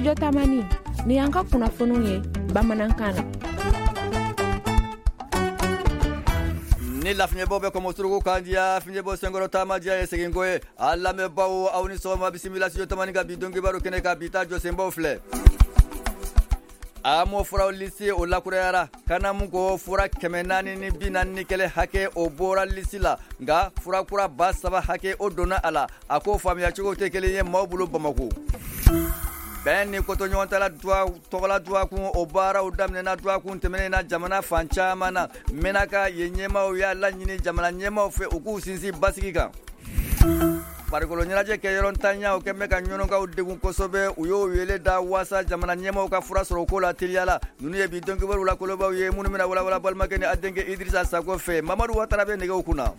Studio Tamani, ni y'an ka kunnafoniw ye bamanankan na. Ni lafiɲɛbɔ bɛ kɔmɔsuruku kan diya, fiɲɛbɔ senkɔrɔ taama diya ye seginko ye. A lamɛnbaaw, aw ni sɔgɔma, bisimila Studio Tamani ka bi don kibaru kɛnɛ kan. Bi ta jɔsenbaw filɛ: AMO furaw lisi, o lakurayara. Kanamu ko fura 441 hakɛ, o bɔra lisi la, nka fura kura 3000 hakɛ, o donna a la. A ko faamuyacogo tɛ kelen ye maaw bolo Bamako. Bɛn ni kotoɲɔgɔntala tɔgɔla dɔgɔkun, o baaraw daminɛna dɔgɔkun tɛmɛnen na jamana fan caman na. Menaka yen ɲɛmaaw y'a laɲini jamana ɲɛmaaw fɛ, u k'u sinsin basigi kan. Farikolo ɲɛnajɛ kɛ yɔrɔ ntanya, o kɛn bɛ ka ɲɔnɔkaw degun kosɛbɛ. U y'o wele da waasa jamana ɲɛmaaw ka fura sɔrɔ o ko la teliya la. Ninnu ye bi don kibaru la kolobaw ye, minnu bɛna walawala balimakɛ ni a denkɛ Idirisa Sako fɛ. Mamadu Watara bɛ nɛgɛw kunna.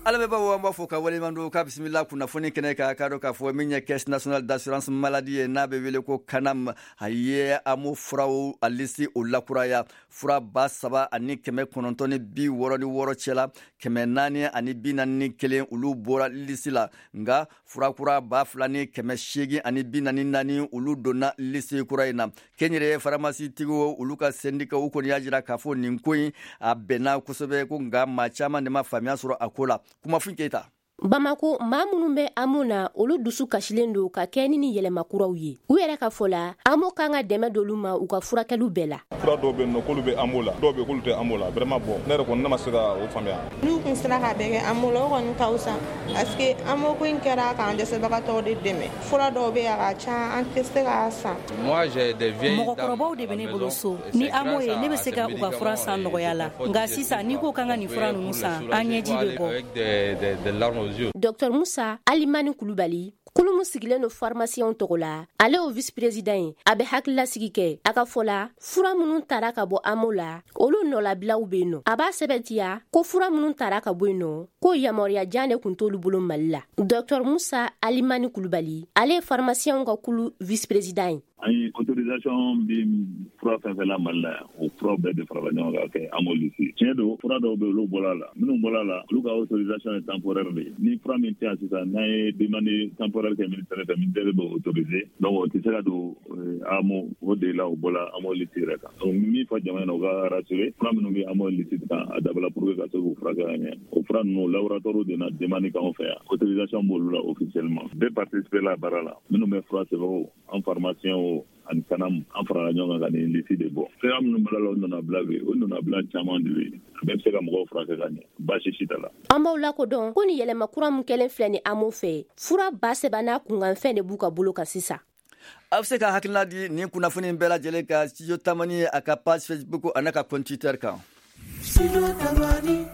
A lamɛnbaaw, an b'a fɔ ka waleɲuman dɔn ka bisimila kunnafoni kɛnɛ kan. K'a dɔn k'a fɔ min ye Caisse nationale d'assurance maladie ye, n'a bɛ wele ko CANAM, a ye AMO furaw a lisi, o lakuraya. Fura 3966 cɛla, 441, olu bɔra lisi la, nka fura kura 2844, olu donna lisi kura in na. Kɛnyɛrɛye faramasitigiw, olu ka sɛndikaw, u kɔni y'a jira k'a fɔ nin ko in a bɛnna kosɛbɛ ko, nka maa caman de ma faamuya sɔrɔ a ko la. Kumafin Keyita. Bamako, maa minnu bɛ AMO na, olu dusu kasilen don ka kɛ ni nin yɛlɛma kuraw ye. U yɛrɛ ka fɔ la, AMO kan ka dɛmɛ d'olu ma u ka furakɛliw bɛɛ la. Fura dɔw bɛ yen nɔ k'olu bɛ AMO la, dɔw bɛ yen k'olu tɛ AMO la. Vraiment, bon, ne yɛrɛ kɔni, ne ma se ka o faamuya. N'u kun sera ka bɛɛ kɛ AMO la, o kɔni ka fisa, parce que AMO ko in kɛra k'an dɛsɛbagatɔw de dɛmɛ. Fura dɔw bɛ yen, a ka ca, an tɛ se k'a san. Mɔgɔkɔrɔbaw de bɛ ne bolo so. Ni AMO ye, ne bɛ se ka u ka fura san nɔgɔya la, nka sisan n'i ko k'an ka nin fura ninnu san, an ɲɛji bɛ bɔ. Dr Musa Alimani Kulubali, kulu min sigilen don pharmaciens tɔgɔ la, ale y'o vice président ye, a bɛ hakililasigi kɛ. A ka fɔ la, fura minnu tara ka bɔ AMO la, olu nɔlabilaw bɛ yen nɔ. A b'a sɛbɛntiya ko fura minnu tara ka bɔ yen nɔ, ko yamaruya jan de tun t'olu bolo Mali la. Dr Musa Alimani Kulubali, ale ye pharmaciens ka kulu vice président ye. An ye autorisation bi fura fɛn fɛn la Mali la yan, o furaw bɛɛ de farala ɲɔgɔn kan kɛ AMO liste. Tiɲɛ don, fura dɔw bɛ, olu bɔra la. Minnu bɔra la, olu ka autorisation ye temporaire de ye. Ni fura min tɛ yan sisan, n'an ye demande temporaire kɛ ministère fɛ, ministère b'o autoriser. Donc o tɛ se ka don AMO o de la, o bɔra AMO liste yɛrɛ kan. Donc min fɔ jamana na, u ka rassurer, fura minnu bɛ AMO liste kan, a dabɔla pour que ka se k'u furakɛ ka ɲɛ. O fura ninnu, laboratoire de na demande k'anw fɛ yan, autorisation b'olu la officiellement. Bɛɛ participer la baara la, minnu bɛ fura sɛbɛn o, an pharmacien o, ani CANAM, an farala ɲɔgɔn kan ka nin liste de bɔ. Fura minnu b'a la, o nɔnabila bɛ yen, o nɔnabila caman de bɛ yen. A bɛɛ bɛ se ka mɔgɔw furakɛ ka ɲɛ, baasi si t'a la. An b'aw lakodɔn ko nin yɛlɛma kura min kɛlen filɛ ni AMO fɛ, fura 3000 n'a kunkanfɛn de b'u ka bolo kan sisan. A bɛ se ka hakilina di nin kunnafoni bɛɛ lajɛlen kan Studio Tamani a ka page Facebook a n'a ka compte Twitter kan.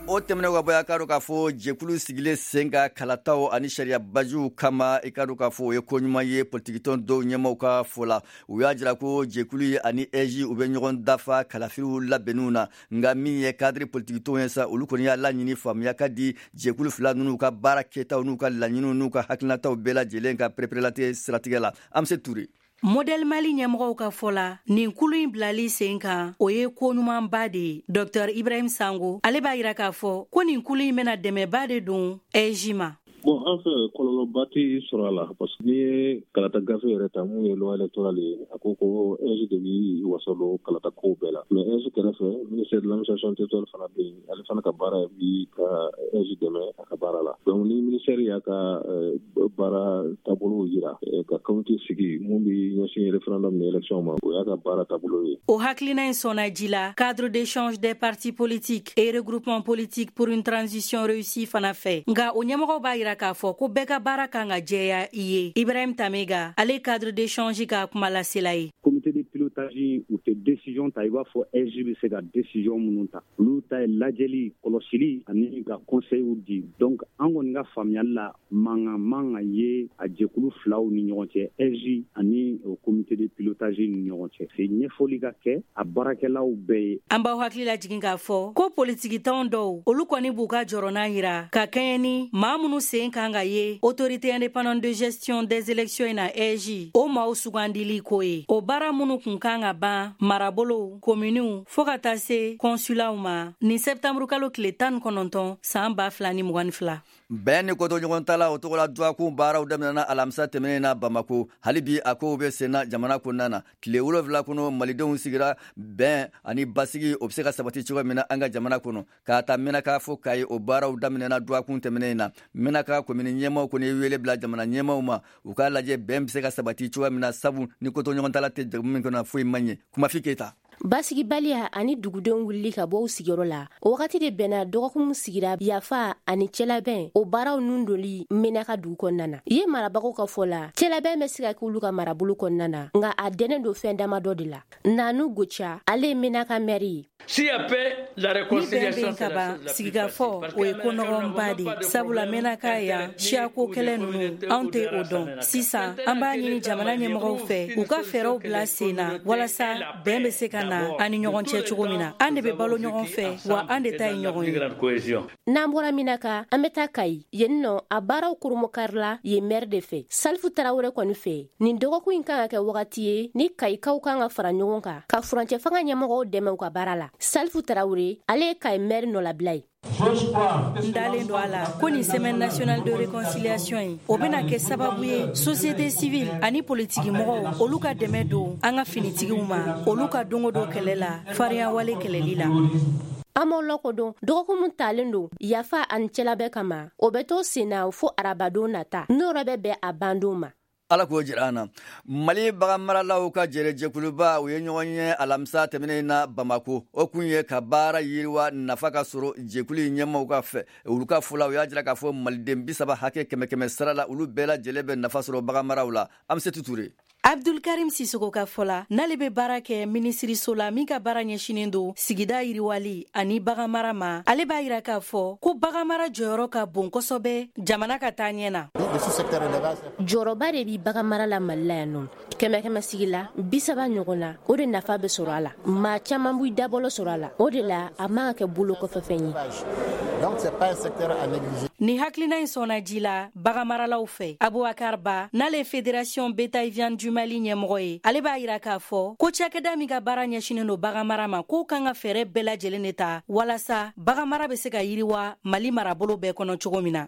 O tɛmɛnen ka bɔ, a k'a dɔn k'a fɔ jɛkulu sigilen sen ka kalataw ani sariya bajuw kama, i k'a dɔn k'a fɔ o ye ko ɲuman ye. Politikitɔn dɔw ɲɛmaw ka fɔ la, u y'a jira ko jɛkulu ye ani AIGE, u bɛ ɲɔgɔn dafa kalafiliw labɛnniw na. Nka min ye cadre politikitɔnw ye sa, olu kɔni y'a laɲini faamuya ka di jɛkulu fila ninnu ka baara kɛtaw n'u ka laɲiniw n'u ka hakilinataw bɛɛ lajɛlen ka pereperelatigɛ siratigɛ la. An bɛ se Ture. Modèle Mali ɲɛmɔgɔw ka fɔ la, nin kulu in bilali sen kan, o ye ko ɲumanba de ye. Dr Ibrahim Sango, ale b'a yira k'a fɔ ko nin kulu in bɛna dɛmɛba de don AIGE ma. Bon, an fɛ, kɔlɔlɔba tɛ sɔrɔ a la, parce que n'i ye kalata gafe yɛrɛ ta, mun ye loi électorale ye, a ko ko AIGE de b'i wasa don kalata kow bɛɛ la. Mais AIGE kɛrɛfɛ, ministère de l'Administration territoriale fana bɛ yen, ale fana ka baara bi ka AIGE dɛmɛ a ka baara la. Donc ni ministère y'a ka baara taabolo jira ka comité sigi mun bɛ ɲɛsin référendum ni élection ma, o y'a ka baara taabolo ye. O hakilina in sɔnna ji la Cadre d'échange des partis politiques et regroupement politique pour une transition réussie fana fɛ, nka o ɲɛmɔgɔw b'a yira k'a fɔ ko bɛɛ ka baara kan ka jɛya i ye. Ibrahim Tamega, ale cadre d'échange ka kumalasela ye. Comité de pilotage, u tɛ décision ta i b'a fɔ AIGE bɛ se ka décision minnu ta. Olu ta ye lajɛli, kɔlɔsili ani ka conseil di. Donc an kɔni ka faamuyali la, mankan man ka ye a jɛkulu filaw ni ɲɔgɔn cɛ, AIGE ani o comité de pilotage ni ɲɔgɔn cɛ. Se ɲɛfɔli ka kɛ a baarakɛlaw bɛɛ ye. An b'aw hakili lajigin k'a fɔ ko politikitɔn dɔw, olu kɔni b'u ka jɔrɔna yira ka kɛɲɛ ni maa minnu sen kan ka ye Autorité indépendante de gestion des élections in na, AIGE, o maaw sugandili ko ye. O baara minnu kun kan ka ban marabolow, kominiw, fɔɔ ka taa se kɔnsulaw ma nin sɛptanburukalo tile 19 san 2022. Bɛn ni kotoɲɔgɔntala o tɔgɔla dɔgɔkun baaraw daminɛna alamisa tɛmɛnen na Bamako. Hali bi a kow bɛ senna jamana kɔnɔna na. Tile 7 kɔnɔ, malidenw sigira bɛn ani basigi o bɛ se ka sabati cogo min na an ka jamana kɔnɔ. K'a ta Menaka fo Kayi, o baaraw daminɛna dɔgɔkun tɛmɛnen na. Menaka komini ɲɛmaaw kɔni ye wele bila jamana ɲɛmaaw ma, u k'a lajɛ bɛn bɛ se ka sabati cogo min na, sabu ni kotoɲɔgɔntala tɛ jamu min kɔnɔ, foyi man ɲɛ. Kumafi Keyita. Basigibaliya ani dugudenw wulili ka bɔ u sigiyɔrɔ la, o wagati de bɛnna dɔgɔkun sigira yafa ani cɛlabɛn o baaraw nun doli Menaka dugu kɔnɔna na. Ye marabagaw ka fɔ la, cɛlabɛn bɛ se ka kɛ olu ka marabolo kɔnɔna na, nka a dɛnnen don fɛn damadɔ de la. Nanu Goca, ale ye Menaka mɛri ye. Ni bɛn bɛ ka ban, sigikafɔ o ye ko nɔgɔnba de ye, sabula Menaka yan siyako kɛlɛ ninnu anw tɛ o dɔn. Sisan an b'a ɲini jamana ɲɛmɔgɔw fɛ u ka fɛɛrɛw bila sen na walasa bɛn bɛ se ka na an ni ɲɔgɔn cɛ cogo min na. An de bɛ balo ɲɔgɔn fɛ, wa an de ta ye ɲɔgɔn ye. N'an bɔra Menaka, an bɛ taa Kayi. Yen nɔ, a baaraw koromokarila yen mɛri de fɛ, Salifu Tarawele kɔni fɛ. Nin dɔgɔkun in kan ka kɛ wagati ye ni Kayikaw kan ka fara ɲɔgɔn kan ka furancɛ fanga ɲɛmɔgɔw dɛmɛ u ka baara la. Salifu Tarawele, ale ye Kayi mɛri nɔlabila ye. N dalen don a la ko nin semaine nationale de réconciliation in, o bɛna kɛ sababu ye société civile ani politiki mɔgɔw, olu ka dɛmɛ don an ka finitigiw ma, olu ka don o don kɛlɛ la, farinya wale kɛlɛli la. An b'aw lakodɔn, dɔgɔkun min talen don yafa ani cɛlabɛn kama, o bɛ to sen na fo arabadon nata, n'o yɛrɛ bɛ bɛn a bandon ma. Ala k'o jira an na. Mali baganmaralaw ka jɛrɛjɛkuluba, u ye ɲɔgɔn ye alamisa tɛmɛnen na Bamako. O kun ye ka baara yiriwa, nafa ka sɔrɔ jɛkulu in ɲɛmaw ka fɛ. Olu ka fɔ la, u y'a jira k'a fɔ maliden 30 hakɛ, kɛmɛ kɛmɛ sara la, olu bɛɛ lajɛlen bɛ nafa sɔrɔ baganmaraw la. An bɛ se tuture. Abdulkarim Sisoko ka fɔ la, n'ale bɛ baara kɛ minisiriso la min ka baara ɲɛsinen don sigida yiriwali ani baganmara ma, ale b'a yira k'a fɔ ko baganmara jɔyɔrɔ ka bon kosɛbɛ jamana ka taa ɲɛ na. Jɔyɔrɔba de bi baganmara la Mali la yan nɔ. Kɛmɛ kɛmɛ sigi la, 30 ɲɔgɔn na, o de nafa bɛ sɔrɔ a la. Maa caman b'i dabɔlɔ sɔrɔ a la. O de la a man ka kɛ bolo kɔfɛfɛn ye. Ni hakilina in sɔnna ji la baganmaralaw fɛ. Abubakar Ba, n'ale ye Fédération Bétail Viande du Mali ɲɛmɔgɔ ye, ale b'a yira k'a fɔ ko cakɛda min ka baara ɲɛsinen don baganmara ma, k'o kan ka fɛɛrɛ bɛɛ lajɛlen de ta walasa baganmara bɛ se ka yiriwa Mali marabolo bɛɛ kɔnɔ cogo min na.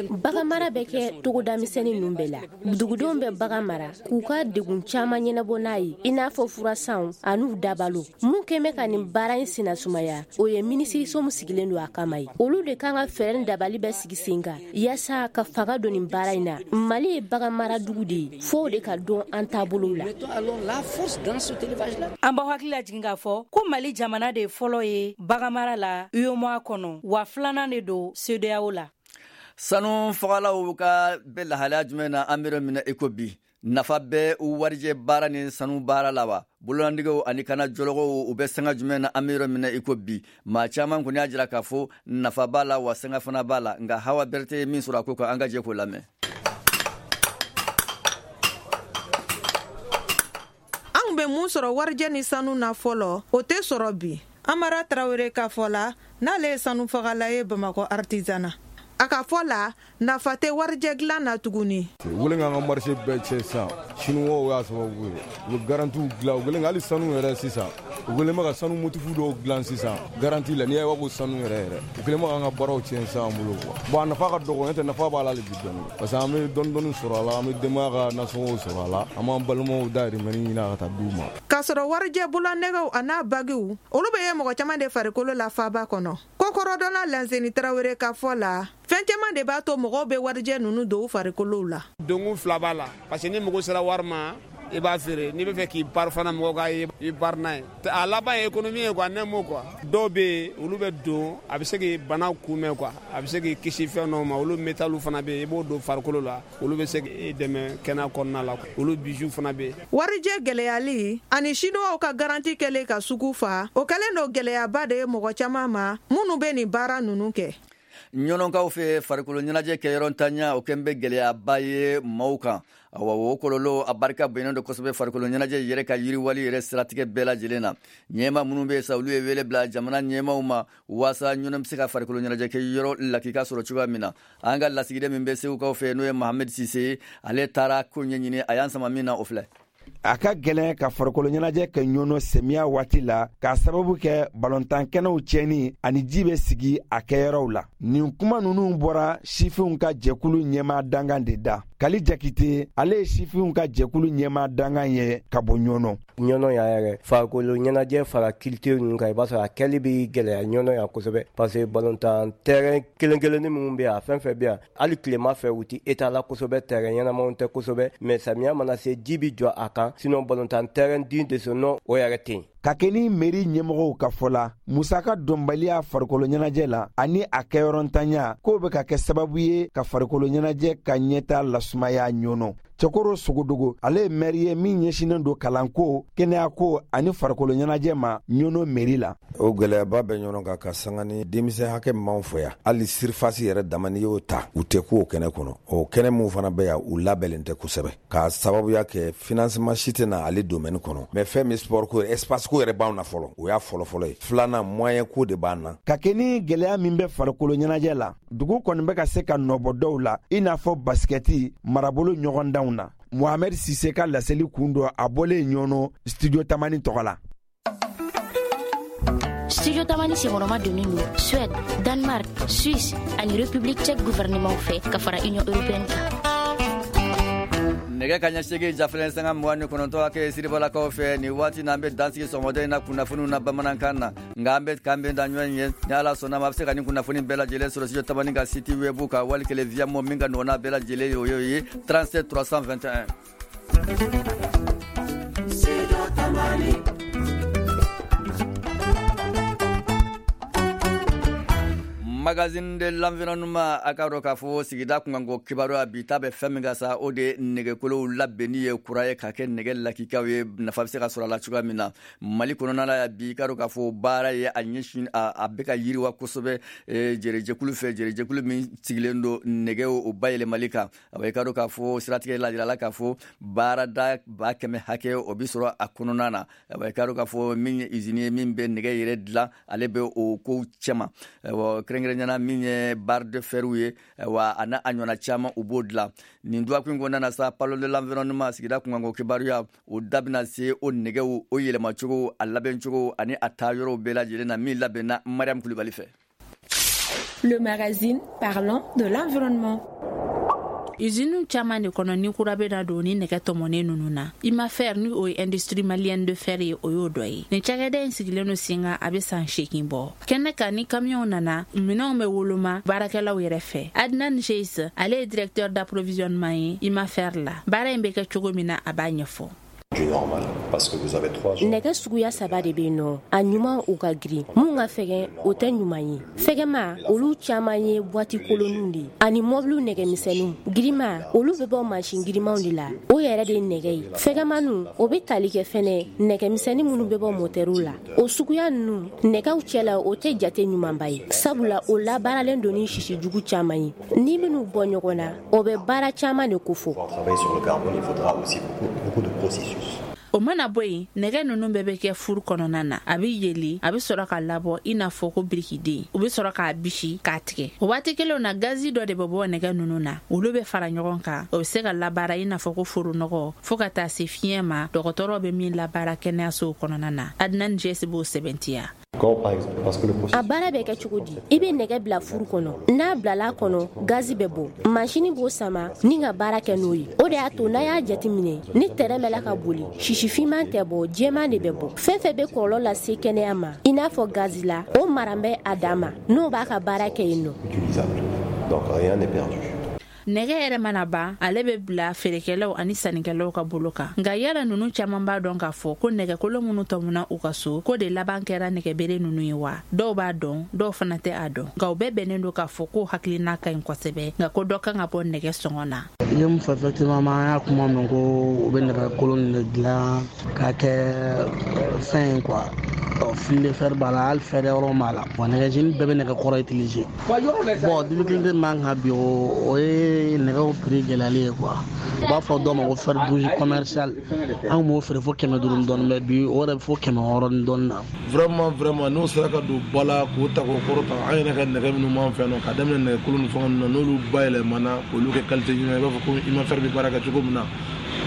Baganmara bɛ kɛ togoda misɛnnin ninnu bɛɛ la. Dugudenw bɛ bagan mara k'u ka degun caman ɲɛnabɔ n'a ye, i n'a fɔ furasanw an'u dabalo. Mun kɛn bɛ ka nin baara in sennasumaya, o ye minisiriso min sigilen don a kama ye. Olu de kan ka fɛɛrɛ ni dabali bɛɛ sigi sen kan yaasa ka fanga don nin baara in na. Mali ye bagan mara dugu de ye, fo o de ka dɔn an taabolow la. An b'aw hakili lajigin k'a fɔ ko Mali jamana de fɔlɔ ye baganmara la UEMOA kɔnɔ, wa filanan de don CEDEAO la. Sanu fagalaw ka bɛ lahalaya jumɛn na an bɛ yɔrɔ min na i ko bi? Nafa bɛ warijɛ baara ni sanu baara la wa? Bololandigew ani kana jɔlɔgɔw, u bɛ sanga jumɛn na an bɛ yɔrɔ min na i ko bi? Maa caman kɔni y'a jira k'a fɔ nafa b'a la, wa sanga fana b'a la. Nka Hawa Berete ye min sɔrɔ a ko kan, an ka jɛ k'o lamɛn. An kun bɛ mun sɔrɔ warijɛ ni sanu na fɔlɔ, o tɛ sɔrɔ bi. Amara Tarawele ka fɔ la, n'ale ye sanufagala ye Bamakɔ artisanat, a ka fɔ la, nafa tɛ warijɛ dilan na tuguni. U kɛlen k'an ka marché bɛɛ cɛ sisan, chinois y'a sababu ye. U bɛ garantiw dilan, u kɛlen hali sanu yɛrɛ sisan, u kɛlen bɛ ka sanu motif dɔw dilan sisan garantie la, n'i y'a ye ko sanu yɛrɛ yɛrɛ. U kɛlen bɛ k'an ka baaraw tiɲɛ sisan an bolo quoi. Bon, a nafa ka dɔgɔ, n'o tɛ nafa b'a la hali bi dɔɔni, parce que an bɛ dɔɔni dɔɔni sɔrɔ a la, an bɛ denbaya ka nasɔngɔw sɔrɔ a la, an b'an balimaw dahirimɛ ɲini ka taa d'u ma. K'a sɔrɔ warijɛ bulanɛgɛw a n'a bagiw, olu bɛ ye mɔgɔ caman de farikolo la faaba kɔnɔ. Kokɔrɔdɔnna Lanseni Tarawele ka fɔ la, fɛn caman de b'a to mɔgɔw bɛ warijɛ ninnu don u farikolow la. Donkun fila b'a la, parce que ni mago sera wari ma, i b'a feere. N'i bɛ fɛ k'i bari fana, mɔgɔw k'a ye, i bari n'a ye. A laban ye économie ye quoi, ne m'o quoi. Dɔw bɛ yen, olu bɛ don, a bɛ se k'i bana kunbɛn quoi, a bɛ se k'i kisi fɛn dɔw ma. Olu métal fana bɛ yen, i b'o don farikolo la, olu bɛ se k'i dɛmɛ kɛnɛya kɔnɔna la. Olu bijoux fana bɛ yen. Warijɛ gɛlɛyali ani chinois ka garantie kɛlen ka sugu fa, o kɛlen don gɛlɛyaba de ye mɔgɔ caman ma minnu bɛ nin baara ninnu kɛ. Ɲɔnɔnkaw fɛ, farikolo ɲɛnajɛ kɛyɔrɔ ntanya, o kɛn bɛ gɛlɛyaba ye maaw kan. Awa, o kɔlɔlɔ a barika bonyalen don kosɛbɛ farikolo ɲɛnajɛ yɛrɛ ka yiriwali yɛrɛ siratigɛ bɛɛ lajɛlen na. Ɲɛma minnu bɛ sa, olu ye wele bila jamana ɲɛmaw ma waasa Ɲɔnɔ bɛ se ka farikolo ɲɛnajɛ kɛ yɔrɔ lakika sɔrɔ cogoya min na. An ka lasigiden min bɛ Segukaw fɛ, n'o ye Mohamed Sise ye, ale taara ko ɲɛɲini. A y'an sama min na, o filɛ. A ka gɛlɛn ka farikolo ɲɛnajɛ kɛ Ɲɔnɔ semiya waati la, k'a sababu kɛ balontan kɛnɛw tiɲɛni ani ji bɛ sigi a kɛyɔrɔw la. Nin kuma ninnu bɔra sifinw ka jɛkulu ɲɛmaa dankan de da. Kali Jakite, ale ye sifinw ka jɛkulu ɲɛmaa dankan ye ka bɔ Ɲɔnɔ. Ɲɔnɔ yan yɛrɛ, farikolo ɲɛnajɛ fara culture ninnu kan, i b'a sɔrɔ a kɛli bɛ gɛlɛya Ɲɔnɔ yan kosɛbɛ, parce que balontan terrain kelen kelennin minnu bɛ yan, a fɛn fɛn bɛ yan, hali tilema fɛ u tɛ état la kosɛbɛ, terrain ɲɛnamaw tɛ kosɛbɛ, mais samiya mana se, ji bɛ jɔ a kan. Sinon balontan terrain digne de ce nom, o yɛrɛ tɛ yen. Ka kɛ ni mairie ɲɛmɔgɔw ka fɔ la, musaka dɔnbaliya farikolo ɲɛnajɛ la ani a kɛyɔrɔntanya, k'o bɛ ka kɛ sababu ye ka farikolo ɲɛnajɛ ka ɲɛta lasumaya Ɲɔnɔ. Cɛkoro Sogodogo, ale ye maire ye min ɲɛsinnen don kalanko, kɛnɛyako ani farikolo ɲɛnajɛ ma Ɲɔnɔ mairie la. O gɛlɛyaba bɛ ɲɔgɔn kan ka sanga ni denmisɛn hakɛ min b'anw fɛ yan. Hali surface yɛrɛ dama, n'i y'o ta, u tɛ k'o kɛnɛ kɔnɔ. O kɛnɛ min fana bɛ yan, u labɛnnen tɛ kosɛbɛ, k'a sababuya kɛ financement si tɛ na ale domaine kɔnɔ. Mais fɛn min sport ko, espace ko yɛrɛ b'anw na fɔlɔ, o y'a fɔlɔfɔlɔ ye. Filanan, moyen ko de b'an na. Ka kɛ ni gɛlɛya min bɛ farikolo ɲɛnajɛ la, dugu kɔni bɛ ka se ka nɔbɔ dɔw la, i n'a fɔ basikɛti marabolo ɲɔgɔndanw na. Mohamed Sise ka laseli kun dɔ, a bɔlen Ɲɔnɔ, Studio Tamani tɔgɔ la. Studio Tamani senkɔrɔma donnen don Suède, Danemark, Suisse ani République tchèque gouvernement fɛ, ka fara Union européenne kan. Nɛgɛ ka ɲɛ 8 jafilɛ sanga 29 hakɛ Siribalakaw fɛ nin waati na, an bɛ dansigi sɔgɔmada in na kunnafoniw na bamanankan na. Nka an bɛ k'an bɛn da ɲɔgɔn ye ni Ala sɔnna ma. A bɛ se ka nin kunnafoni bɛɛ lajɛlen sɔrɔ Studio Tamani ka site web kan, wali kelen Viamo min ka nɔgɔn n'a bɛɛ lajɛlen ye, o ye 37 321. Studio Tamani. Magazine de l'environnement, a ka dɔn k'a fɔ sigida kunkanko kibaruya, bi ta bɛ fɛn min ka sa, o de ye nɛgɛkolow labɛnni ye kura ye ka kɛ nɛgɛ lakikaw ye, nafa bɛ se ka sɔrɔ a la cogoya min na Mali kɔnɔna la. Bi, ka dɔn k'a fɔ baara ye a ɲɛsin a bɛ ka yiriwa kosɛbɛ jɛrɛjɛkulu fɛ, jɛrɛjɛkulu min sigilen don nɛgɛw o bayɛlɛmali kan. A ka dɔn k'a fɔ siratigɛ la jirala k'a fɔ baarada 100 000 hakɛ o bɛ sɔrɔ a kɔnɔna na. A ka dɔn k'a fɔ min ye usine ye min bɛ nɛgɛ yɛrɛ dilan, ale bɛ o kow cɛma, kɛrɛnkɛrɛnnenya min ye barre de fer ye wa, a n'a a ɲɔgɔnna caman, u b'o dilan. Nin dɔgɔkun in kɔnɔna na sa, Parlons de l'environnement, sigida kunkanko kibaruya, o da bɛna se o nɛgɛw o yɛlɛmacogo, a labɛncogo ani a taa yɔrɔw bɛɛ lajɛlen na, min labɛnna Mariam Kulibali fɛ. Le magazine parlant de l'environnement. Usine caman de kɔnɔ ni kura bɛna don ni nɛgɛ tɔmɔnen ninnu na, Imafer, ni o ye Industrie malienne de fer ye, o y'o dɔ ye. Nin cakɛda in sigilen no sen kan, a bɛ san 8 bɔ. Kɛnɛ kan, ni kamiyɔnw nana, minɛnw bɛ woloma baarakɛlaw yɛrɛ fɛ. Adnan Jeis, ale ye directeur d'approvisionnement ye Imafer la. Baara in bɛ kɛ cogo min na, a b'a ɲɛfɔ. Nɛgɛ suguya saba de bɛ yen nɔ. A ɲuman, u ka girin. Mun ka fɛgɛn, o tɛ ɲuman ye. Fɛgɛma, olu caman ye bwati kolonninw de ani mɔbiliw nɛgɛmisɛnninw. Girima, olu bɛ bɔ mansin girimanw de la, o yɛrɛ de ye nɛgɛ ye. Fɛgɛmaniw, o bɛ tali kɛ fɛnɛ nɛgɛmisɛnnin minnu bɛ bɔ motɛriw la. O suguya ninnu nɛgɛw cɛla, o tɛ jate ɲumanba ye, sabula o labaaralen don ni sisi jugu caman ye. Ni minnu bɔ ɲɔgɔn na, o bɛ baara caman de kofɔ. O mana bɔ yen, nɛgɛ ninnu bɛɛ bɛ kɛ four kɔnɔna na, a bɛ yeli, a bɛ sɔrɔ ka labɔ i n'a fɔ ko birikiden. U bɛ sɔrɔ k'a bisi k'a tigɛ. O waati kelenw na, gazi dɔ de bɛ bɔ nɛgɛ ninnu na, olu bɛ fara ɲɔgɔn kan, o bɛ se ka labaara i n'a fɔ ko foronɔgɔ, fɔɔ ka taa se fiɲɛ ma, dɔgɔtɔrɔ bɛ min labaara kɛnɛyasow kɔnɔna na. Adnan Jɛsi b'o sɛbɛntiya. A baara bɛ kɛ cogo di? I bɛ nɛgɛ bila four kɔnɔ. N'a bilala kɔnɔ, gazi bɛ bɔ, masini b'o sama ni ka baara kɛ n'o ye. O de y'a to n'a y'a jateminɛ, ni tɛrɛn bɛ la ka boli, sisifinman tɛ bɔ, jɛman de bɛ bɔ. Fɛn fɛn bɛ kɔlɔlɔ lase kɛnɛya ma, i n'a fɔ gazi la, o maran bɛ a dan ma, n'o b'a ka baara kɛ yen nɔ. Nɛgɛ yɛrɛ mana ban, ale bɛ bila feerekɛlaw ani sannikɛlaw ka bolo kan. Nka yala ninnu caman b'a dɔn k'a fɔ ko nɛgɛkolo minnu tɔmuna u ka so, ko de laban kɛra nɛgɛbere ninnu ye wa? Dɔw b'a dɔn, dɔw fana tɛ a dɔn. Nka u bɛɛ bɛnnen don k'a fɔ ko hakilina ka ɲi kosɛbɛ, nka ko dɔ kan ka bɔ nɛgɛ sɔngɔ na. I ye mun fɔ? Effectivement, an y'a kuma mɛn ko u bɛ nɛgɛ kolon de dilan k'a kɛ fɛn ye quoi. Fil de fer b'a la, hali fer yɔrɔ b'a la. Bon, nɛgɛjeni bɛɛ bɛ nɛgɛ kɔrɔ utiliser. Bon, difficulté min b'an kan bi, o ye nɛgɛw prix gɛlɛyali ye quoi. U b'a fɔ dɔw ma ko fer rouge commercial, an b'o feere fo 500 ni dɔɔni, mais bi o yɛrɛ bɛ fo 600 ni dɔɔni na. Vraiment, vraiment, n'o sera ka don ba la k'o ta k'o kɔrɔta, an yɛrɛ ka nɛgɛ minnu b'an fɛ yan nɔ, ka daminɛ nɛgɛ kolon ni fɛn ninnu na, n'olu bayɛlɛmana k'olu kɛ qualité ɲuman ye, i b'a fɔ ko Imafer bɛ baara kɛ cogo min na.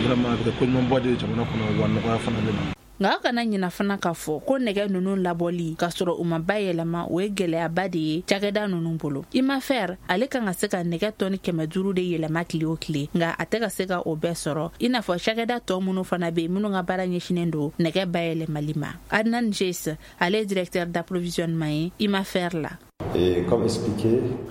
Vraiment, a bɛ kɛ koɲumanba de ye jamana kɔnɔ, wa nɔgɔya fana bɛ na. Nka aw kana ɲina fana k'a fɔ ko nɛgɛ ninnu labɔli k'a sɔrɔ u ma bayɛlɛma, o ye gɛlɛyaba de ye cakɛda ninnu bolo. Imafer ale kan ka se ka nɛgɛ tɔni 500 de yɛlɛma tile o tile, nka a tɛ ka se ka o bɛɛ sɔrɔ, i n'a fɔ cakɛda tɔ minnu fana bɛ yen minnu ka baara ɲɛsinnen don nɛgɛ bayɛlɛmali ma. Adnan Jes, ale ye directeur d'approvisionnement ye Imafer la.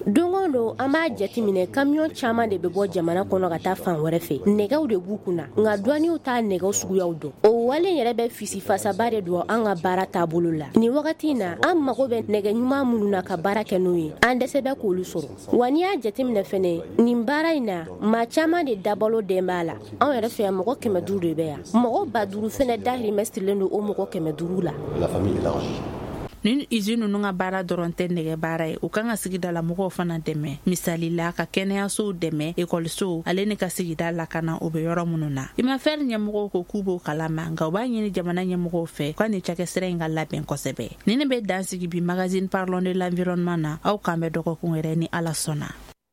Don o don, an b'a jateminɛ, kamiyɔn caman de bɛ bɔ jamana kɔnɔ ka taa fan wɛrɛ fɛ. Nɛgɛw de b'u kunna, nka duwaniw t'a nɛgɛw suguyaw dɔn. O wale yɛrɛ bɛ fisifasaba de don an ka baara taabolo la. Nin wagati in na, an mago bɛ nɛgɛ ɲuman minnu na ka baara kɛ n'o ye, an dɛsɛ bɛ k'olu sɔrɔ. Wa n'i y'a jateminɛ fɛnɛ, nin baara in na, maa caman de dabalo dɛn b'a la. Anw yɛrɛ fɛ yan, mɔgɔ 500 de bɛ yan. Mɔgɔ 5000 fɛnɛ dahirimɛ sirilen don o mɔgɔ 500 la. Nin usine ninnu ka baara dɔrɔn tɛ nɛgɛ baara ye. U kan ka sigidala mɔgɔw fana dɛmɛ, misali la ka kɛnɛyasow dɛmɛ, ekɔlisow, ale ni ka sigida lakana o bɛ yɔrɔ minnu na. Imafer ɲɛmɔgɔw ko k'u b'o kalama, nka u b'a ɲini jamana ɲɛmɔgɔw fɛ ka nin cakɛsira in ka labɛn kosɛbɛ. Nin ne bɛ dan sigi bi magazine Parlons de l'environnement na. Aw k'an bɛn dɔgɔkun wɛrɛ ni Ala sɔnna.